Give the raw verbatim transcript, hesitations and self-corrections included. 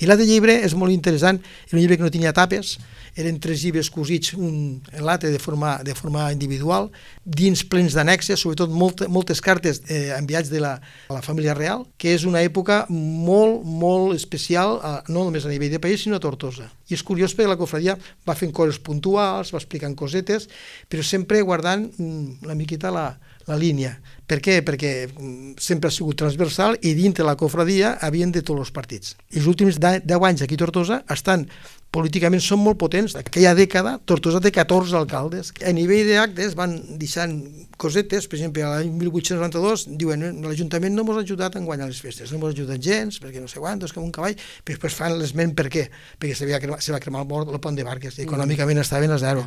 I l'altre llibre és molt interessant, era un llibre que no tenia tapes, eren tres llibres cosits un en l'altre de forma, de forma individual, dins plens d'annexes, sobretot molt, moltes cartes eh, enviats de la, a la família real, que és una època molt, molt especial, eh, no només a nivell de país, sinó a Tortosa. I és curiós perquè la cofradia va fent coses puntuals, va explicant cosetes, però sempre guardant mm, una miqueta la, la línia. Per què? Perquè sempre ha sigut transversal i dintre la cofradia havien de tots els partits. I els últims deu anys aquí a Tortosa estan políticament són molt potents. Aquella dècada, Tortosa té catorze alcaldes. A nivell d'actes van deixant cosetes, per exemple, l'any mil vuit-cents noranta-dos diuen l'Ajuntament no ens ha ajudat a guanyar les festes, no ens ha ajudat gens, perquè no sé quantos, com un cavall, però després fan l'esment per què, perquè se va cremar, se va cremar el, el pont de Barques, i econòmicament estaven a zero.